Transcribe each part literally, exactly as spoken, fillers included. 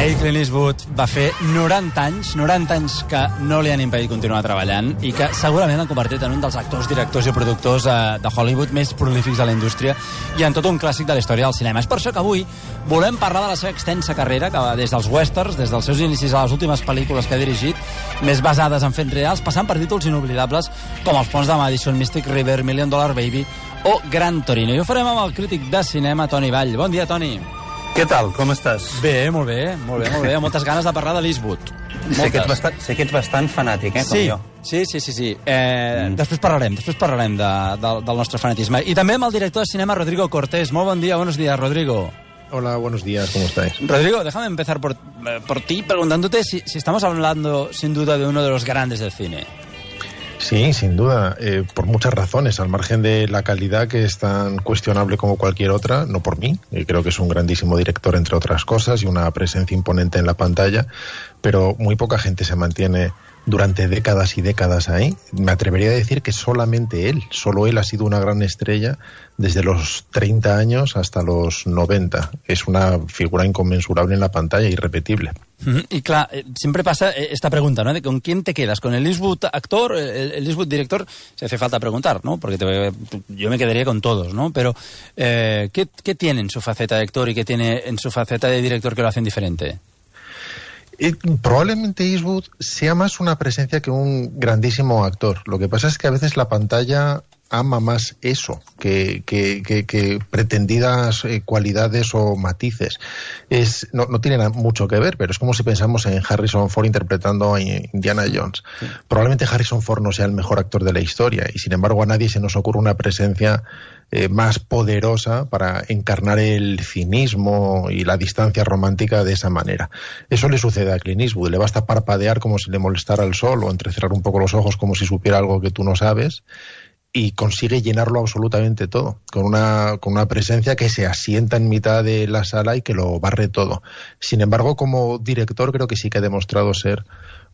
Ahir Clint Eastwood va fer noranta anys, noranta anys que no li han impedit continuar treballant i que segurament l'han convertit en un dels actors, directors i productors eh, de Hollywood més prolífics de la indústria i en tot un clàssic de la història del cinema. És per això que avui volem parlar de la seva extensa carrera, que va des dels westerns, des dels seus inicis a les últimes pel·lícules que ha dirigit, més basades en fets reals, passant per títols inoblidables com Els ponts de Madison, Mystic River, Million Dollar Baby o Gran Torino. I ho farem amb el crític de cinema, Toni Vall. Bon dia, Toni. Què tal? Com estàs? Bé, molt bé, molt bé, molt bé. Amb moltes ganes de parlar de l'Eastwood. Sé que, ets bastant, sé que ets bastant fanàtic, eh, sí, com jo. Sí, sí, sí. sí. Eh, mm. Després parlarem, després parlarem de, de, del nostre fanatisme. I també amb el director de cinema, Rodrigo Cortés. Molt bon dia, buenos días, Rodrigo. Hola, buenos días, ¿cómo estáis? Rodrigo, déjame empezar por, por ti preguntándote si, si estamos hablando sin duda de uno de los grandes del cine. Sí, sin duda, eh, por muchas razones, al margen de la calidad que es tan cuestionable como cualquier otra, no por mí, eh, creo que es un grandísimo director entre otras cosas y una presencia imponente en la pantalla, pero muy poca gente se mantiene durante décadas y décadas ahí. Me atrevería a decir que solamente él, solo él ha sido una gran estrella desde los treinta años hasta los noventa. Es una figura inconmensurable en la pantalla, irrepetible. Mm-hmm. Y claro, siempre pasa esta pregunta, ¿no? De ¿con quién te quedas? ¿Con el Eastwood actor, el, el Eastwood director? Se hace falta preguntar, ¿no? Porque te, yo me quedaría con todos, ¿no? Pero, eh, ¿qué, ¿qué tiene en su faceta de actor y qué tiene en su faceta de director que lo hacen diferente? Eh, probablemente Eastwood sea más una presencia que un grandísimo actor. Lo que pasa es que a veces la pantalla ama más eso que, que, que, que pretendidas eh, cualidades o matices. Es, no, no tiene mucho que ver, pero es como si pensamos en Harrison Ford interpretando a Indiana Jones. Sí. Probablemente Harrison Ford no sea el mejor actor de la historia y sin embargo a nadie se nos ocurre una presencia eh, más poderosa para encarnar el cinismo y la distancia romántica de esa manera. Eso le sucede a Clint Eastwood. Le basta parpadear como si le molestara el sol o entrecerrar un poco los ojos como si supiera algo que tú no sabes y consigue llenarlo absolutamente todo, con una, con una presencia que se asienta en mitad de la sala y que lo barre todo. Sin embargo, como director creo que sí que ha demostrado ser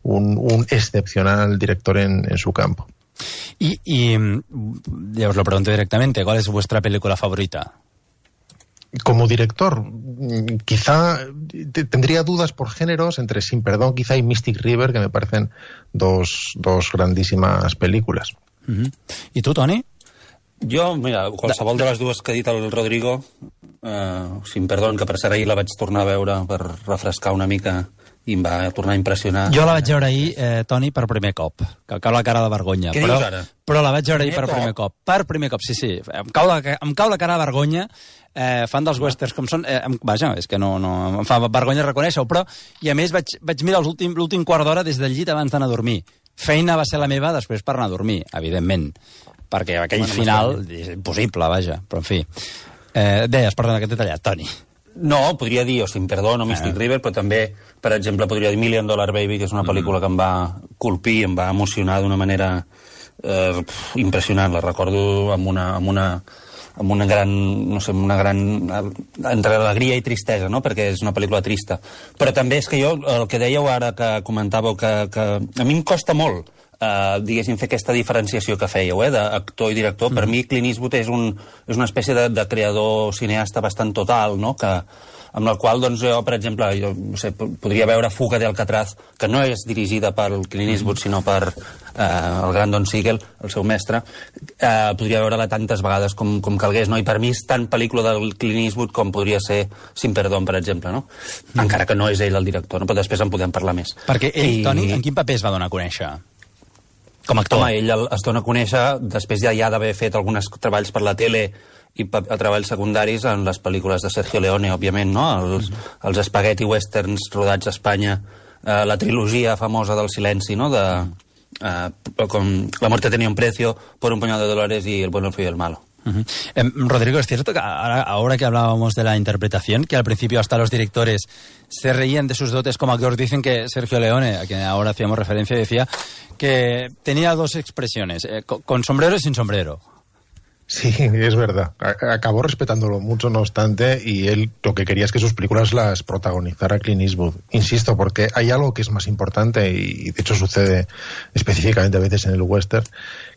un, un excepcional director en, en su campo. Y, y ya os lo pregunto directamente, ¿cuál es vuestra película favorita? Como director, quizá tendría dudas por géneros entre Sin Perdón quizá y Mystic River, que me parecen dos, dos grandísimas películas. Uh-huh. I tu, Toni? Jo, mira, qualsevol de les dues que ha dit el Rodrigo, eh, Sin Perdón, que per cert ahir la vaig tornar a veure per refrescar una mica i em va tornar a impressionar. Jo la vaig veure ahir, eh, Toni, per primer cop, que em cau la cara de vergonya. Què però, dius ara? Però la vaig veure ahir per primer cop. Per primer cop, sí, sí. Em cau la, em cau la cara de vergonya, eh, fan dels westerns com són, eh, em, vaja, és que no, no, em fa vergonya reconèixer-ho, però, i a més vaig, vaig mirar l'últim quart d'hora des del llit abans d'anar a dormir. Feina va ser la meva després per anar a dormir, evidentment, perquè aquell bueno, final és impossible, vaja, però en fi. Eh, deies, perdona, que t'he tallat, Toni. No, podria dir o Sin Perdón o Mystic ah. River, però també, per exemple, podria dir Million Dollar Baby, que és una pel·lícula mm. que em va colpir, em va emocionar d'una manera eh, impressionant. La recordo amb una, amb una, amb una gran, no sé, una gran entre alegria i tristesa, no? Perquè és una pel·lícula trista. Però també és que jo, el que dèieu ara, que comentàveu, que, que a mi em costa molt Uh, diguéssim, fer aquesta diferenciació que fèieu, eh, d'actor i director. Mm. Per mi Clint Eastwood és, un, és una espècie de, de creador cineasta bastant total, no? Que, amb el qual, doncs, jo, per exemple, jo, no sé, podria veure Fuga de Alcatraz, que no és dirigida per Clint Eastwood, sinó per uh, el gran Don Siegel, el seu mestre. Uh, podria veure-la tantes vegades com, com calgués, no? I per mi és tan pel·lícula del Clint Eastwood com podria ser Sin Perdón, per exemple, no? Mm. Encara que no és ell el director, no? Però després en podem parlar més. Perquè ell, I... Toni, en quin paper es va donar a conèixer? Com a actor. Home, ell es dona a conèixer després ja, ja d'haver fet alguns treballs per la tele i a treballs secundaris en les pel·lícules de Sergio Leone, òbviament, no? Els, els spaghetti westerns rodats a Espanya, eh, la trilogia famosa del silenci, no? De, eh, com La muerte tenía un precio, Por un puñado de dólares y El bueno, el feo y el malo. Uh-huh. Eh, Rodrigo, es cierto que ahora, ahora que hablábamos de la interpretación, que al principio hasta los directores se reían de sus dotes como actor, dicen que Sergio Leone, a quien ahora hacíamos referencia, decía que tenía dos expresiones, eh, con sombrero y sin sombrero. Sí, es verdad. Acabó respetándolo mucho, no obstante, y él lo que quería es que sus películas las protagonizara Clint Eastwood. Insisto, porque hay algo que es más importante, y de hecho sucede específicamente a veces en el western,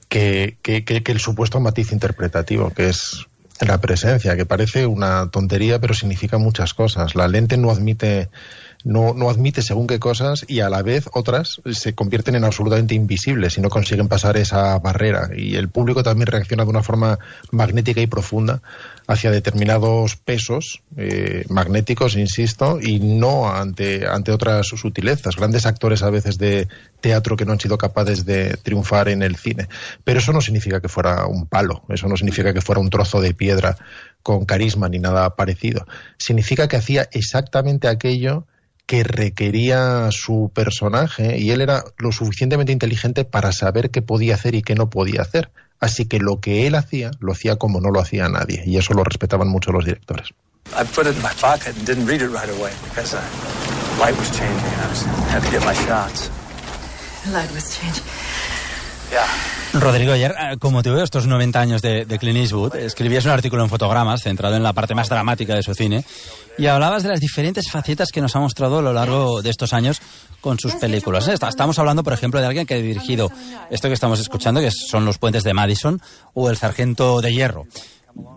que, que, que, que el supuesto matiz interpretativo, que es la presencia, que parece una tontería, pero significa muchas cosas. La lente no admite no, no admite según qué cosas y a la vez otras se convierten en absolutamente invisibles y no consiguen pasar esa barrera. Y el público también reacciona de una forma magnética y profunda hacia determinados pesos eh, magnéticos, insisto, y no ante, ante otras sutilezas. Grandes actores a veces de teatro que no han sido capaces de triunfar en el cine. Pero eso no significa que fuera un palo, eso no significa que fuera un trozo de piedra con carisma ni nada parecido. Significa que hacía exactamente aquello que requería su personaje y él era lo suficientemente inteligente para saber qué podía hacer y qué no podía hacer. Así que lo que él hacía, lo hacía como no lo hacía nadie, y eso lo respetaban mucho los directores. I put it in my pocket and didn't read it right away because the light was changing and I was, had to get my shots. The light was changing. Yeah. Rodrigo, ayer, con motivo de estos noventa años de, de Clint Eastwood, escribías un artículo en Fotogramas centrado en la parte más dramática de su cine y hablabas de las diferentes facetas que nos ha mostrado a lo largo de estos años con sus películas. Estamos hablando, por ejemplo, de alguien que ha dirigido esto que estamos escuchando, que son Los puentes de Madison o El sargento de hierro.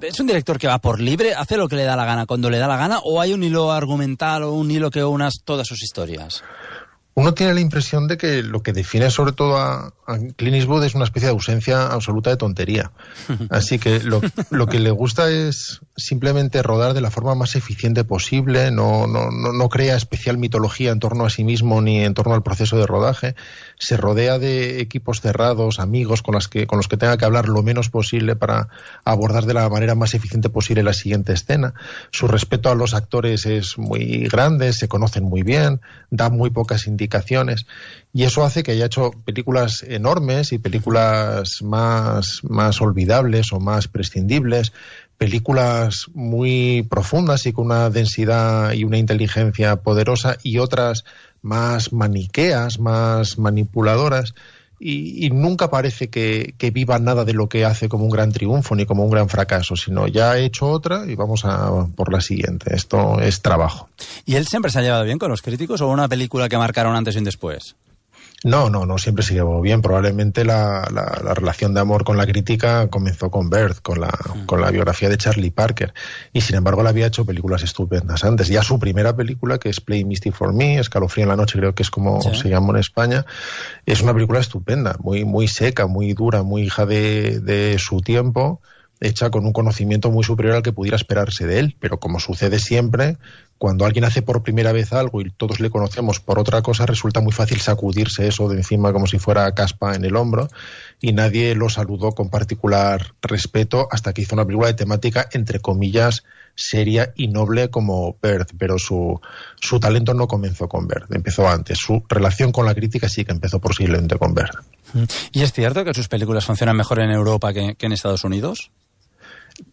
¿Es un director que va por libre, hace lo que le da la gana cuando le da la gana, o hay un hilo argumental o un hilo que una todas sus historias? Uno tiene la impresión de que lo que define sobre todo a, a Clint Eastwood es una especie de ausencia absoluta de tontería. Así que lo, lo que le gusta es simplemente rodar de la forma más eficiente posible, no, no, no, no crea especial mitología en torno a sí mismo ni en torno al proceso de rodaje, se rodea de equipos cerrados, amigos con, las que, con los que tenga que hablar lo menos posible para abordar de la manera más eficiente posible la siguiente escena. Su respeto a los actores es muy grande, se conocen muy bien, da muy pocas indicaciones y eso hace que haya hecho películas enormes y películas más, más olvidables o más prescindibles, películas muy profundas y con una densidad y una inteligencia poderosa y otras más maniqueas, más manipuladoras y, y nunca parece que, que viva nada de lo que hace como un gran triunfo ni como un gran fracaso, sino ya ha hecho otra y vamos a por la siguiente. Esto es trabajo. ¿Y él siempre se ha llevado bien con los críticos o una película que marcaron antes y un después? No, no, no siempre se llevó bien. Probablemente la, la, la relación de amor con la crítica comenzó con Birth, con la, mm. con la biografía de Charlie Parker. Y sin embargo, él había hecho películas estupendas antes. Ya su primera película, que es Play Misty for Me, Escalofrío en la noche, creo que es como ¿sí? se llama en España, es una película estupenda, muy, muy seca, muy dura, muy hija de, de su tiempo, hecha con un conocimiento muy superior al que pudiera esperarse de él. Pero como sucede siempre, cuando alguien hace por primera vez algo y todos le conocemos por otra cosa, resulta muy fácil sacudirse eso de encima como si fuera caspa en el hombro, y nadie lo saludó con particular respeto hasta que hizo una película de temática, entre comillas, seria y noble como Birth, pero su, su talento no comenzó con Birth, empezó antes. Su relación con la crítica sí que empezó posiblemente con Birth. ¿Y es cierto que sus películas funcionan mejor en Europa que, que en Estados Unidos?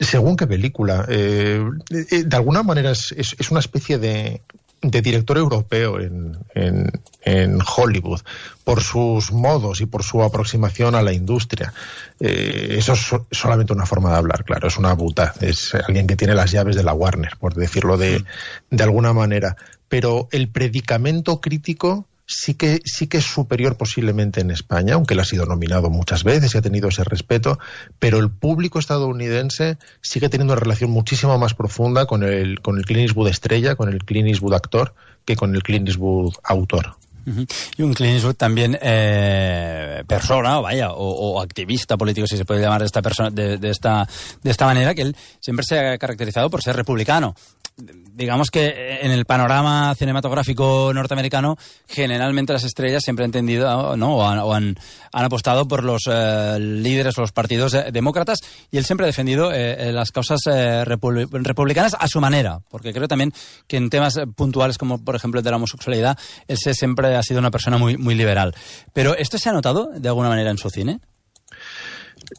Según qué película. Eh, de alguna manera es, es, es una especie de, de director europeo en, en, en Hollywood, por sus modos y por su aproximación a la industria. Eh, eso es so, solamente una forma de hablar, claro, es una buta. Es alguien que tiene las llaves de la Warner, por decirlo de, de alguna manera. Pero el predicamento crítico sí que sí que es superior posiblemente en España, aunque él ha sido nominado muchas veces y ha tenido ese respeto, pero el público estadounidense sigue teniendo una relación muchísimo más profunda con el con el Clint Eastwood estrella, con el Clint Eastwood actor, que con el Clint Eastwood autor. Uh-huh. Y un Clint Eastwood también eh, persona, vaya, o, o activista político, si se puede llamar de esta persona, de, de esta de esta manera, que él siempre se ha caracterizado por ser republicano. Digamos que en el panorama cinematográfico norteamericano, generalmente las estrellas siempre han entendido, ¿no? o han, o han, han apostado por los eh, líderes o los partidos eh, demócratas, y él siempre ha defendido eh, las causas eh, republi- republicanas a su manera, porque creo también que en temas puntuales como por ejemplo el de la homosexualidad, él se, siempre ha sido una persona muy, muy liberal. Pero ¿esto se ha notado de alguna manera en su cine?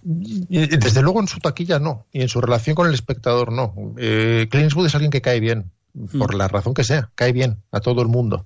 Desde luego en su taquilla no, y en su relación con el espectador no. eh, Clint Eastwood es alguien que cae bien, por la razón que sea, cae bien a todo el mundo,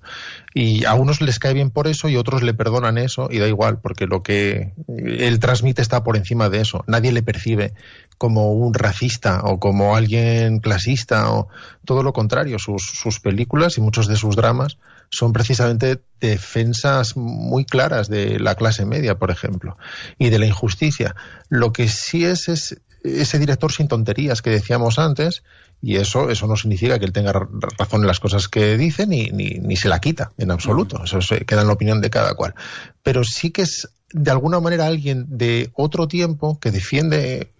y a unos les cae bien por eso y otros le perdonan eso y da igual, porque lo que él transmite está por encima de eso. Nadie le percibe como un racista o como alguien clasista, o todo lo contrario. Sus, sus películas y muchos de sus dramas son precisamente defensas muy claras de la clase media, por ejemplo, y de la injusticia. Lo que sí es es ese director sin tonterías que decíamos antes, y eso eso no significa que él tenga razón en las cosas que dice, ni, ni, ni se la quita en absoluto. Eso se queda en la opinión de cada cual. Pero sí que es, de alguna manera, alguien de otro tiempo que defiende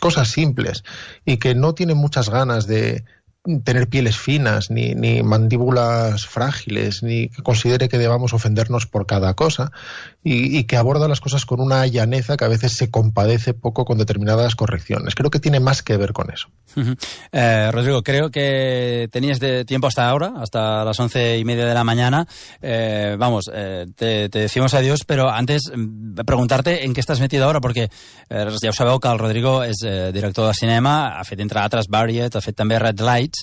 cosas simples y que no tiene muchas ganas de tener pieles finas, ni, ni mandíbulas frágiles, ni que considere que debamos ofendernos por cada cosa, y, y que aborda las cosas con una llaneza que a veces se compadece poco con determinadas correcciones. Creo que tiene más que ver con eso. Uh-huh. eh, Rodrigo, creo que tenías de tiempo hasta ahora, hasta las once y media de la mañana. Eh, vamos, eh, te, te decimos adiós, pero antes preguntarte en què estàs metido ahora, perquè eh, ja ho sabeu que el Rodrigo és eh, director de cinema, ha fet entre altres Buried, ha fet també Red Lights.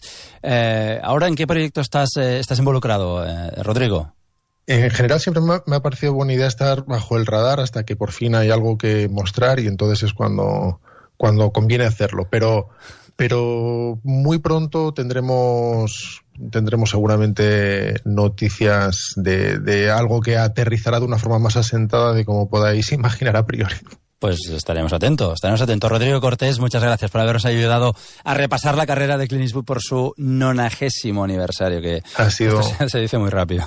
Eh, ahora, ¿en qué proyecto estás, eh, estás involucrado, eh, Rodrigo? En general siempre me ha, me ha parecido buena idea estar bajo el radar hasta que por fin hay algo que mostrar, y entonces es cuando, cuando conviene hacerlo. Pero, pero muy pronto tendremos, tendremos seguramente noticias de, de algo que aterrizará de una forma más asentada de como podáis imaginar a priori. Pues estaremos atentos, estaremos atentos. Rodrigo Cortés, muchas gracias por habernos ayudado a repasar la carrera de Clint Eastwood por su nonagésimo aniversario, que ha sido... se, se dice muy rápido.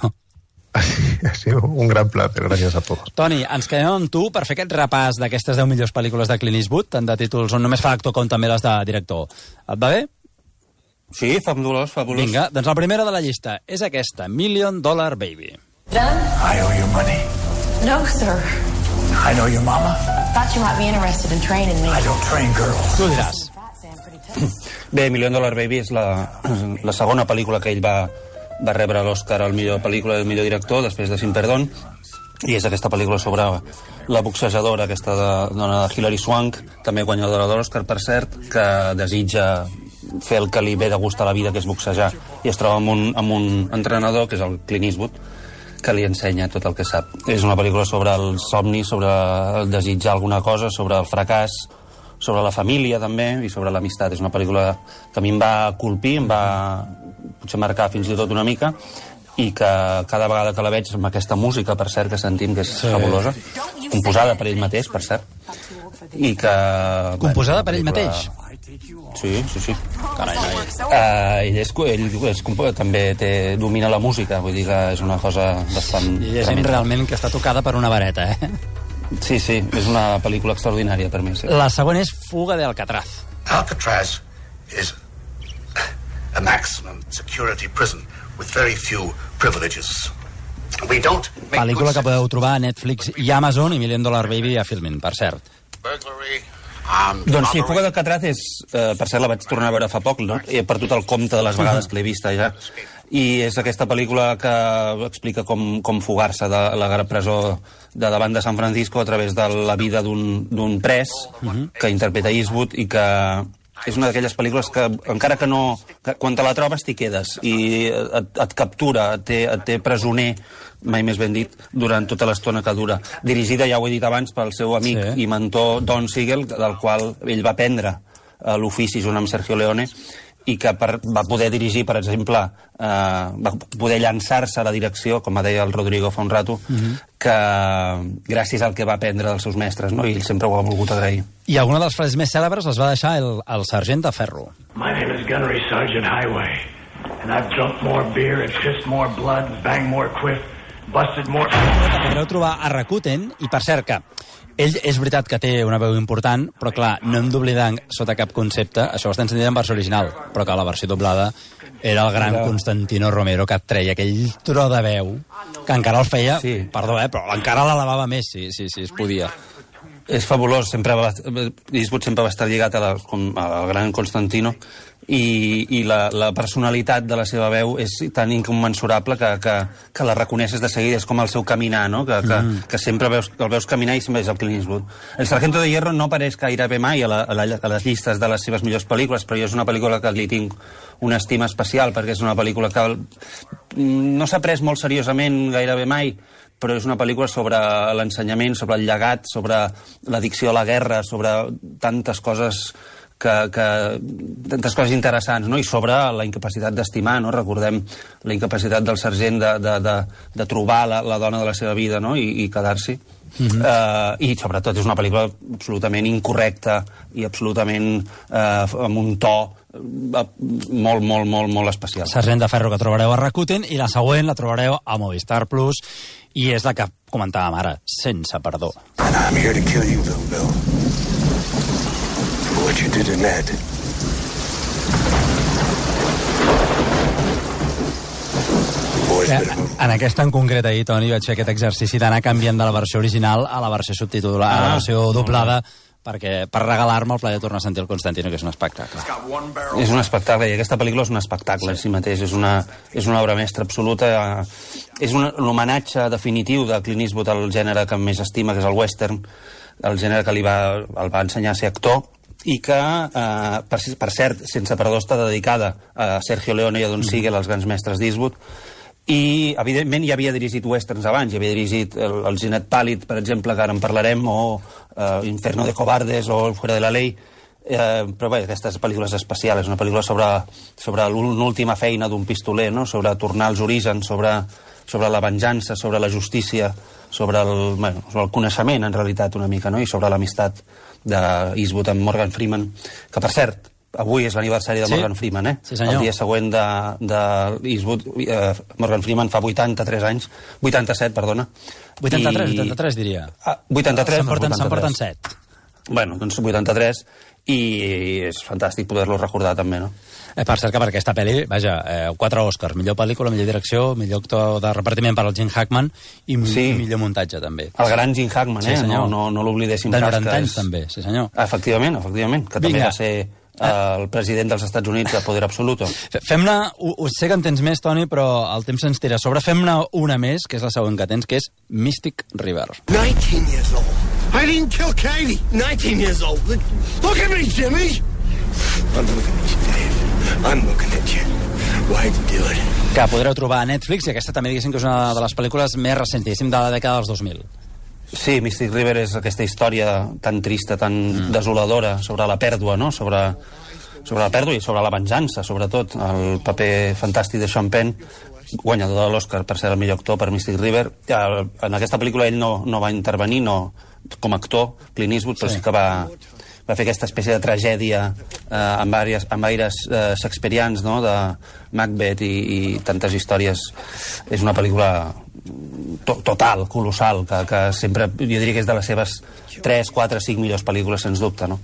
Ha sido un gran placer, gràcies a tots. Toni, ens quedem amb tu per fer aquest repàs d'aquestes deu millors pel·lícules de Clint Eastwood, tant de títols on només fa actor com també les de director. Et va bé? Sí, fabulós, fabulós. Vinga, doncs la primera de la llista és aquesta, Million Dollar Baby. Done? I owe you money. No, sir. I know your mama. Thought you might be interested in training me. I don't train girls. Tu diràs. Bé, Million Dollar Baby és la, la segona pel·lícula que ell va, va rebre l'Oscar al millor pel·lícula i el millor director, després de Sin Perdón, i és aquesta pel·lícula sobre la boxejadora, aquesta de, dona de Hilary Swank, també guanyadora de l'Oscar, per cert, que desitja fer el que li ve de gust a la vida, que és boxejar, i es troba amb un, amb un entrenador, que és el Clint Eastwood, que li ensenya tot el que sap. És una pel·lícula sobre el somni, sobre el desitjar alguna cosa, sobre el fracàs, sobre la família també, i sobre l'amistat. És una pel·lícula que a mi em va colpir, em va potser marcar fins i tot una mica, i que cada vegada que la veig amb aquesta música, per cert, que sentim que és sí. fabulosa, composada per ell mateix, per cert, i que... Composada bé, per ell pel·lícula... mateix? Sí, sí, sí. Carai, noi. Uh, ell és, ell és, també té, domina la música, vull dir que és una cosa bastant... I és gent realment que està tocada per una vareta, eh? Sí, sí, és una pel·lícula extraordinària per mi. Sí. La següent és Fuga de Alcatraz. Alcatraz is a maximum security prison with very few privileges. We don't make Pel·lícula que podeu trobar a Netflix i Amazon, i Million Dollar Baby a Filmin, per cert. burglary. Um, Doncs sí, Fuga d'Alcatraz és... Eh, per cert, la vaig tornar a veure fa poc, no? He perdut el compte de les vegades que l'he vista ja. I és aquesta pel·lícula que explica com, com fugar-se de la presó de davant de San Francisco a través de la vida d'un pres uh-huh. que interpreta Eastwood, i que és una d'aquelles pel·lícules que, encara que no... Que quan te la trobes t'hi quedes i et, et captura, et té, et té presoner, mai més ben dit, durant tota l'estona que dura. Dirigida, ja ho he dit abans, pel seu amic sí. i mentor Don Siegel, del qual ell va aprendre l'ofici junt amb Sergio Leone, i que per, va poder dirigir, per exemple, eh, va poder llançar-se a la direcció, com deia el Rodrigo fa un rato, uh-huh. que gràcies al que va aprendre dels seus mestres, no? I ell sempre ho ha volgut agrair. I alguna de les frases més cèlebres les va deixar el, el sergent de ferro. My name is Gunnery Sergeant Highway, and I've drunk more beer and pissed more blood and banged more quiff, busted more... La podreu trobar a Rakuten, i per cert que ell és veritat que té una veu important, però clar, no hem d'oblidar sota cap concepte, això ho estem sentint en versió original, però que la versió doblada era el gran era... Constantino Romero, que treia aquell tro de veu, que encara el feia, sí. perdó, eh, però encara l'elevava més, si sí, sí, sí, es podia. És fabulós, sempre va, Eastwood sempre va estar lligat a la, al gran Constantino, i, i la, la personalitat de la seva veu és tan incommensurable que, que, que la reconeixes de seguida, és com el seu caminar, no? que, que, mm. que sempre veus, el veus caminar i sempre és el Clint Eastwood. El Sargento de Hierro no apareix gairebé mai a, la, a, la, a les llistes de les seves millors pel·lícules, però jo és una pel·lícula que li tinc una estima especial, perquè és una pel·lícula que no s'ha pres molt seriosament gairebé mai, però és una pel·lícula sobre l'ensenyament, sobre el llegat, sobre l'addicció a la guerra, sobre tantes coses que, que tantes coses interessants, no? I sobre la incapacitat d'estimar, no? Recordem la incapacitat del sergent de, de, de, de trobar la, la dona de la seva vida, no? I, i quedar-s'hi. Mm-hmm. uh, I sobretot és una pel·lícula absolutament incorrecta i absolutament uh, amb un to uh, molt, molt, molt, molt especial. Sergent de Ferro, que trobareu a Rakuten, i la següent la trobareu a Movistar Plus, i és la que comentàvem ara, Sense perdó. And I'm here to kill you, Bill Bill. For what you did to Ned. En aquesta en concret ahir, Toni, vaig fer aquest exercici d'anar canviant de la versió original a la versió subtitulada, ah, a la versió doblada, perquè, per regalar-me el plaer de tornar a sentir el Constantino, que és un espectacle. És un espectacle, i aquesta pel·lícula és un espectacle en sí. si mateix, és una, és una obra mestra absoluta, és un, un homenatge definitiu de Clint Eastwood al gènere que més estima, que és el western, el gènere que li va, el va ensenyar a ser actor, i que, eh, per, per cert, Sense perdó està dedicada a Sergio Leone i a Don Siegel, els grans mestres d'Eastwood, i evidentment ja havia dirigit westerns abans, ja havia dirigit el, el Ginet Pàl·lid, per exemple, que ara en parlarem, o eh, Inferno de cobardes o El fuera de la ley, eh, però bé, aquesta pel·lícula és especial, és una pel·lícula sobre, sobre l'última feina d'un pistoler, no? Sobre tornar als orígens, sobre, sobre la venjança, sobre la justícia, sobre el, bueno, sobre el coneixement, en realitat, una mica, no? I sobre l'amistat d'Eastwood amb Morgan Freeman, que, per cert, avui és l'aniversari de sí. Morgan Freeman, eh? Sí, senyor. El dia següent de, de Eastwood, eh, Morgan Freeman fa vuitanta-tres anys, vuitanta-set, perdona. vuitanta-tres, I... vuitanta-tres, diria. Ah, vuitanta-tres, se'n porten, se'n porten set. Bueno, doncs vuitanta-tres, i és fantàstic poder-lo recordar també, no? Eh, per cert que per aquesta pel·li, vaja, eh, quatre Oscars, millor pel·lícula, millor direcció, millor actor de repartiment per al Gene Hackman i sí. millor muntatge, també. El gran Gene Hackman, eh? Sí, no no, no l'oblidéssim pas. De noranta anys, és... també, sí senyor. Efectivament, efectivament, que Vinga. També va ser el president dels Estats Units de poder absoluto. Fem-ne, ho sé que en tens més, Toni, però el temps ens tira sobre. Fem-ne una més, que és la següent que tens, que és Mystic River. nineteen years old. I didn't kill Katie. nineteen years old. Look at me, Jimmy. I'm looking at you, Dave. I'm looking at you. Why'd you do it? Que podreu trobar a Netflix, i aquesta també diguéssim que és una de les pel·lícules més recents, diguéssim, de la dècada dels dos mil. Sí, Mystic River és aquesta història tan trista, tan mm. desoladora, sobre la pèrdua, no? Sobre, sobre la pèrdua i sobre la venjança, sobretot. El paper fantàstic de Sean Penn, guanyador de l'Oscar per ser el millor actor per Mystic River. En aquesta pel·lícula ell no, no va intervenir no, com a actor, Clint Eastwood, però sí, sí que va, va fer aquesta espècie de tragèdia eh, amb, àrees, amb aires eh, shakespearians, no? De Macbeth i, i tantes històries. És una pel·lícula to total, colossal, que, que sempre, jo diria que és de les seves tres, quatre, cinc millors pel·lícules, sens dubte, no?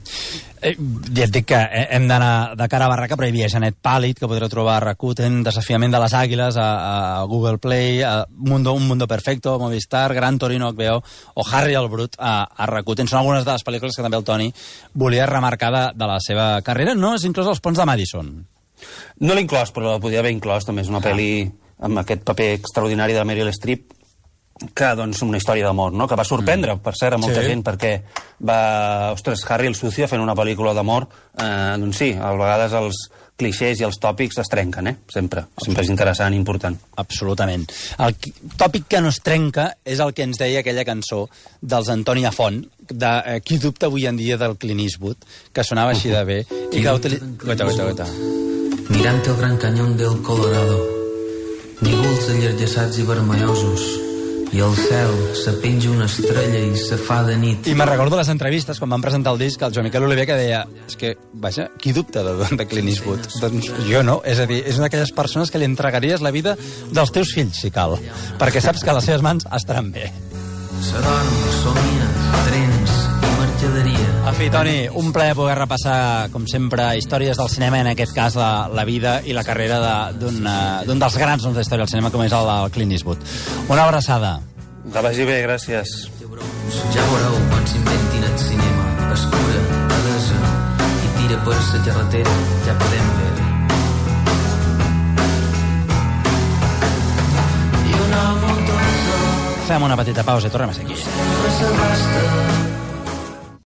Eh, ja et dic que hem d'anar de cara a barraca, però hi havia Genet Pàl·lid, que podreu trobar a Rakuten, Desafiament de les Àguiles, a, a Google Play, a Mundo, Un Mundo Perfecto, a Movistar, Gran Torino, H B O, o Harry el Brut, a, a Rakuten. Són algunes de les pel·lícules que també el Toni volia remarcar de, de la seva carrera. No és inclòs Els Ponts de Madison. No l'he inclòs, però la podia haver inclòs. També és una ah. pel·li amb aquest paper extraordinari de Meryl Streep, que, doncs, una història d'amor, no? Que va sorprendre, mm. per cert, a molta sí. gent, perquè va... Ostres, Harry el Sucio fent una pel·lícula d'amor, eh, doncs sí, a vegades els clixés i els tòpics es trenquen, eh? Sempre. Sempre és interessant i important. Absolutament. El tòpic que no es trenca és el que ens deia aquella cançó dels Antònia Font, de eh, Qui dubta avui en dia del Clint Eastwood, que sonava així de bé, uh -huh. i que utilitza... Guaita, guaita, guaita. Mirant el gran canyón del Colorado, nígols allargassats i vermellosos, i al cel se penja una estrella i se fa de nit. I me'n recordo les entrevistes, quan van presentar el disc, el Joan Miquel Oliver, que deia, és que, vaja, qui dubta de, de Clint Eastwood? Doncs jo no, és a dir, és una d'aquelles persones que li entregaries la vida dels teus fills, si cal, perquè saps que les seves mans estaran bé. S'adorm, somia, trens i mercaderia. En fi, Toni, un plaer poder repassar, com sempre, històries del cinema, en aquest cas la, la vida i la carrera d'un de, dels grans noms de història del cinema, com és el, el Clint Eastwood. Una abraçada. Que vagi bé, gràcies. Ja veureu quan s'inventin el cinema. Escura, adesa, i tira per la carretera, ja podem veure. I una moto. Fem una petita pausa i tornem a ser aquí.